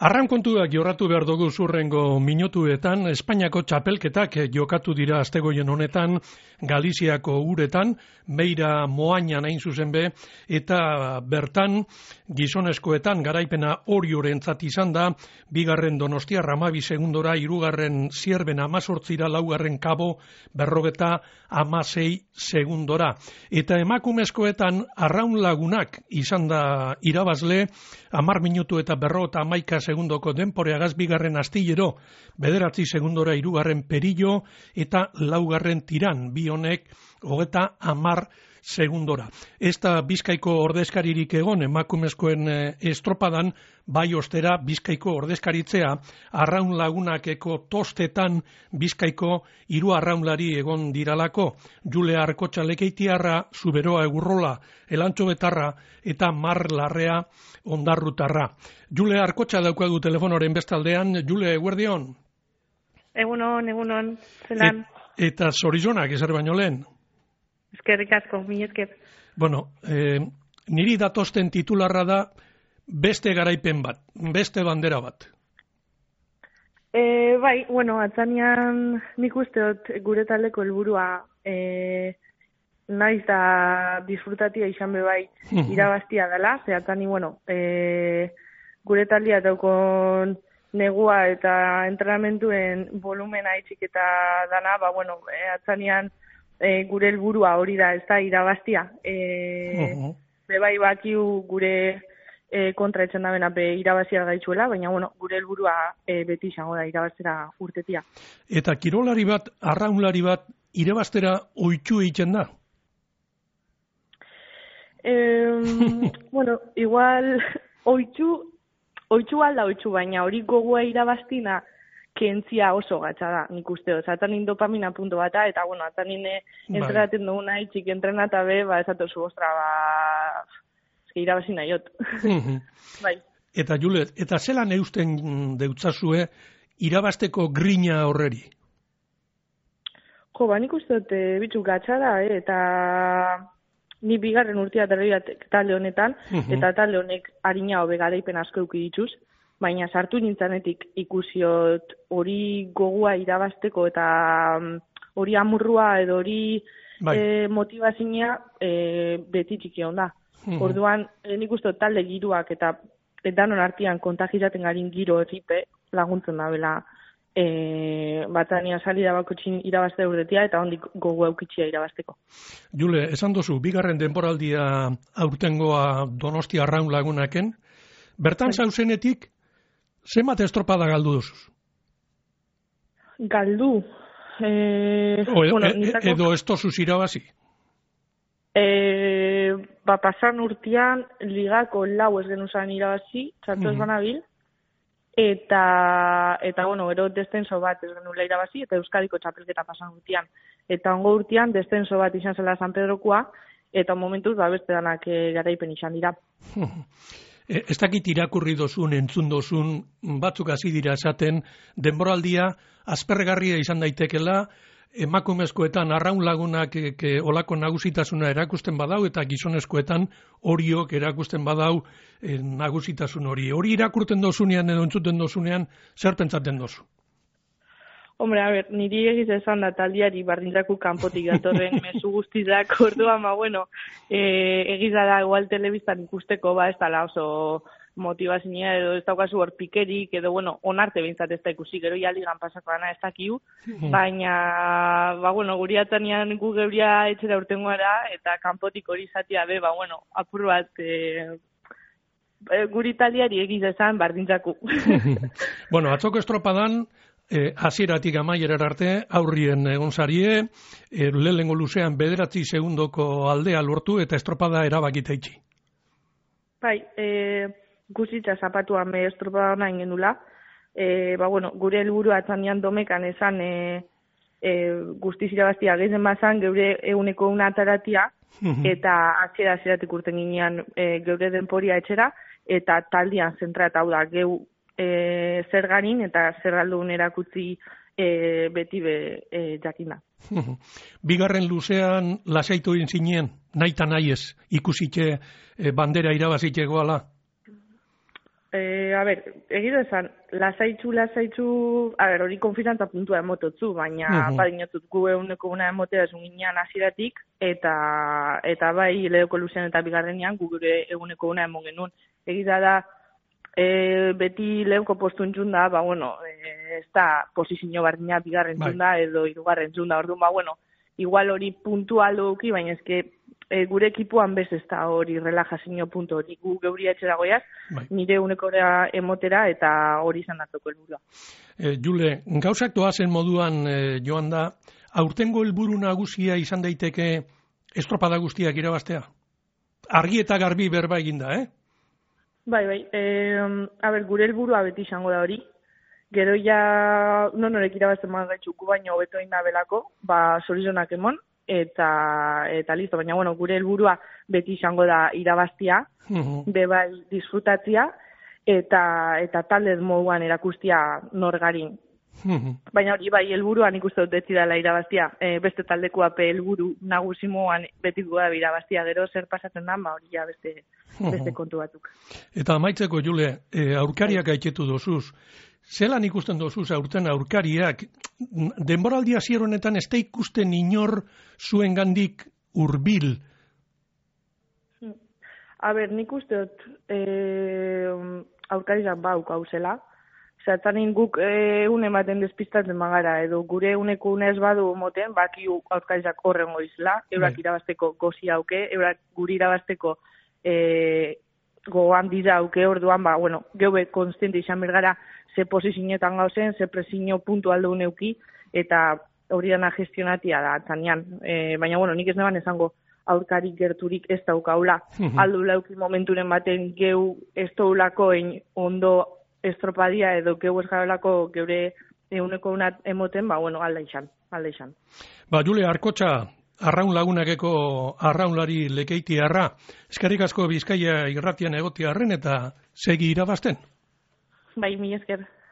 Arrankontuak jorratu behar dugu zurrengo minutuetan, Espainiako txapelketak jokatu dira astegoien honetan, Galiziako uretan, Meira Moañan hain zuzen be, eta bertan gizonezkoetan garaipena Oriorentzat izan da, bigarren Donostia Ramabi segundora, hirugarren Zierben 18, laugarren Kabo 56 segundora. Eta emakumezkoetan Arraun Lagunak izan da irabazle, 10 minutu eta 51 segundoko denporeagaz, bigarren Astillero 9 segundora, hirugarren Perillo eta laugarren Tiran, bi honek 30 segundora. Ez da Bizkaiko ordezkaririk egon emakumezkoen estropadan, bai ostera Bizkaiko ordezkaritzea Arraun Lagunakeko tostetan Bizkaiko 3 arraunlari egon diralako, Jule Arkotxa Lekeitiarra, Zuberoa Egurrola Elantxo Betarra eta Mar Larrea Ondarrutarra. Jule Arkotxa daukagu telefonoren bestaldean. Jule, eguerdion? Egunon, zelan. Eta zorizonak ezer baino lehen? Eskerrik asko, mi esker. Bueno, niri datosten titularra da beste garaipen bat, beste bandera bat. Bai, atzanean nik uste dut gure taldeko helburua naiz da disfrutatia izan be bai irabaztia dela, ze atzani, gure taldea daukon negua eta entrenamentuen volumena itxik eta dana, atzanean gure helburua hori da, ez da irabaztia. Bebai bakiu gure kontra etxen da bena irabazia gaitzuela, baina gure helburua beti izango da irabaztera urtetia. Eta kirolari bat, arraunlari bat, irabaztera oitxu egiten da? Igual oitxu alda oitxu, baina hori gogoa irabaztina kentzia oso gatsa da, nik uste dut. Atanin dopamina punto bata, eta atanin entrenaten duguna itxik entrenata be, esatozu, irabazi nahiot. Bai. Eta Julet, eta zelan eusten deutzazue irabazteko grina horreri? Nik uste dut bitxuk gatsa da, eta ni bigarren urtea derribatek talde honetan, eta talde honek harina hobe garaipen asko euki dituz, baina sartu nintzanetik ikusiot hori gogua irabazteko eta hori amurrua edo hori motivazioa beti txiki onda. Orduan, nik uste talde giroak eta danon artean kontagizaten garin giro erripe laguntzen da bela batania salida bakotxin irabazte urtetia eta hondik gogo eukitxia irabazteko. Jule, esan dozu, bigarren denboraldia aurtengoa Donostia Arraun Lagunaken, bertan zauzenetik, zenbat estropada galdu duzuz? Galdu? Edo ez tozuz irabazi? Pasan urtean ligako lau ez genuzan irabazi, txartu ez banabil, eta gero descenso bat ez genula irabazi, eta Euskadiko txapelketa pasan urtean. Eta ongo urtean descenso bat izan zela San Pedrokoa, eta momentuz beste danak garaipen izan dira. Ez dakit irakurri dozun, entzun dozun, batzuk hasi dira esaten, denboraldia aspergarria izan daitekela, emakumezkoetan Arraun Lagunak olako nagusitasuna erakusten badau, eta gizonezkoetan Oriok erakusten badau nagusitasun hori. Hori irakurten dozunean edo entzuten dozunean, zer pentsaten dozu? Hombre, niri egiz esan da taldiari bardintzako kanpotik datorren mezu guztizak, orduan, egiz da igual telebistan ikusteko, ez dala oso motivazioa edo ez daukazu hor pikerik, edo, onarte behintzat ez da ikusi, gero ligan pasako dana ez dakiu, baina, guri atzanean gu geuria etxera urtengoara, eta kanpotik hori izatea be, apur bat, guri taldiari egiz esan bardintzako. Atzoko estropadan, hasieratik amaierar arte, aurrien egon zarie, lehengo luzean 9 segundoko aldea lortu eta estropada erabakita itxi. Bai, guzitza zapatuan estropada hona ingenula. Gure helburua atzanean domekan esan guztiz irabaztia gehizen bazan, geure eguneko una ataratia, eta hasieratik urten ginean geure denporia etxera, eta taldian zentra eta hau da, geu zer ganin eta zer aldun erakutzi beti jakina. Bigarren luzean lasaitu egin zinen, nahi eta nahi ez, ikusitxe bandera irabazitxegoala? Egiz esan, lasaitzu, hori konfidantza puntua emototzu, baina badinotut gu eguneko una emotea esun ginean hasieratik, eta bai lehoko luzean eta bigarrenean gu gure eguneko una emon genuen. Egiza da, beti lehoko postu entzun da, ez da posizio bardina bigarren entzun da, edo hirugarren entzun da, orduan, igual hori puntual duki, baina eske gure ekipuan bez ez da hori relajazio puntu hori. Gu geuri etxera goiaz, nire unekora emotera eta hori izan datzoko helburua. Jule, gauzak doazen moduan joan da, aurtengo helburu nagusia izan daiteke estropada guztiak irabaztea? Argi eta garbi berba eginda, Bai. Gure helburua beti izango da hori. Gero ja norek irabazten gaitzuku baino hobeto egin da belako, sorizonak emon, eta listo, baina gure helburua beti izango da irabaztia, bebai disfrutatzia, eta talde moduan erakustia norgarin. Baina hori bai helburuan ikuste dut betzi dela irabaztia, beste taldekoa helburu nagusi moduan beti da irabaztia, gero zer pasatzen da, hori ja beste kontu batzuk. Eta amaitzeko, Jule, aurkariak gaitetu dozuz, zelan ikusten dozuz aurten aurkariak, denboraldi hasier honetan ez da ikusten inor zuengandik hurbil? Nik uste dut aurkariak hauzela. Zertanin guk une baten despistatzen magara, edo gure uneko unez badu moten, baki aurkariak horren goizela, eurak irabazteko gozi hauke, eurak guri irabazteko gogoan dira hauke, orduan, geube konstiente izan bergara, ze posizioetan gauzen, ze presio puntu aldo uneuki, eta hori dana gestionatia da, atzanean. Baina, nik ez neban esango aurkarik gerturik ez daukaula. Aldu lauki momenturen baten geu ez daulako ondo estropadia edo geu ez jarolako geure eguneko unat emoten, alda izan. Jule, Arkotxa, Arraun Lagunakeko arraunlari lekeitiarra, eskerrik asko Bizkaia irratian egotiarren eta segi irabazten. Bai, mi esker.